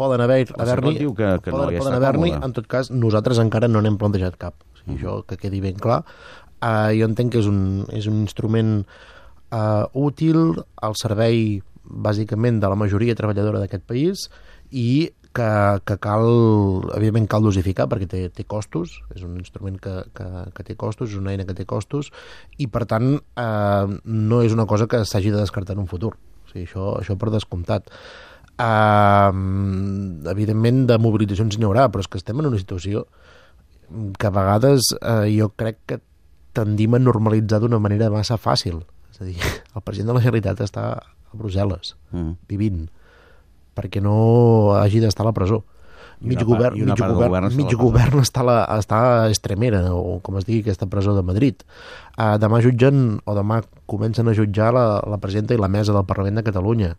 poden haver-n'hi, diu que no hi està còmode. còmode. En tot cas, nosaltres encara no n'hem plantejat cap. O sigui, això que quedi ben clar. Jo entenc que és un instrument útil al servei, bàsicament, de la majoria treballadora d'aquest país i que cal, evidentment cal dosificar perquè té costos, és un instrument que té costos, és una eina que té costos i per tant no és una cosa que s'hagi de descartar en un futur. O sigui, això per descomptat. Evidentment de mobilitzacions n'hi haurà, però és que estem en una situació que a vegades jo crec que tendim a normalitzar d'una manera massa fàcil. És a dir, el president de la Generalitat està a Brussel·les, vivint, perquè no hagi d'estar a la presó. Mig govern està a Estremera, o com es digui, aquesta presó de Madrid. Demà comencen a jutjar la presidenta i la mesa del Parlament de Catalunya.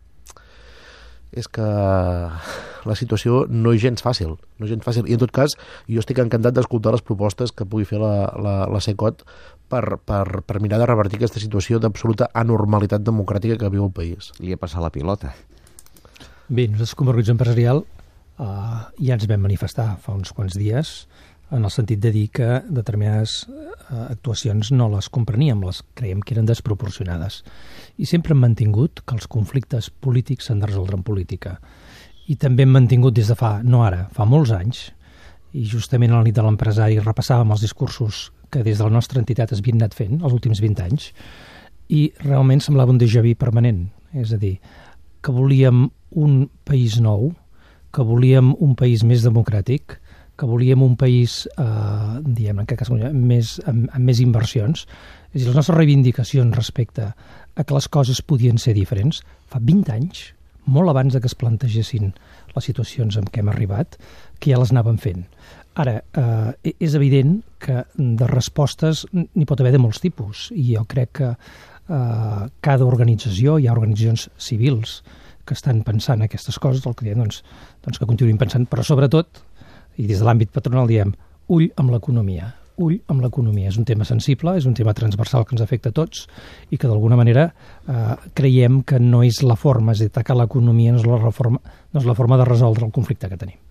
És que la situació no és gens fàcil. I en tot cas, jo estic encantat d'escoltar les propostes que pugui fer la CECOT per mirar de revertir aquesta situació d'absoluta anormalitat democràtica que viu el país. Li ha passat la pilota. Bé, nosaltres com a organització empresarial ja ens vam manifestar fa uns quants dies en el sentit de dir que determinades actuacions no les compreníem, les creiem que eren desproporcionades. I sempre hem mantingut que els conflictes polítics s'han de resoldre en política. I també hem mantingut des de fa molts anys, i justament a la nit de l'empresari repassàvem els discursos que des de la nostra entitat es havien anat fent els últims 20 anys, i realment semblava un déjà vu permanent. És a dir, que volíem un país nou, que volíem un país més democràtic, que volíem un país, amb més inversions. És a dir, les nostres reivindicacions respecte a que les coses podien ser diferents, fa 20 anys, molt abans que es plantegessin les situacions en què hem arribat, que ja les anàvem fent. Ara, és evident que de respostes n'hi pot haver de molts tipus, i jo crec que cada organització, hi ha organitzacions civils que estan pensant aquestes coses, el que diem, doncs que continuïn pensant, però sobretot, i des de l'àmbit patronal diem, ull amb l'economia. Ull amb l'economia. És un tema sensible, és un tema transversal que ens afecta a tots i que d'alguna manera creiem que no és la forma, és a dir, atacar l'economia no és la forma de resoldre el conflicte que tenim.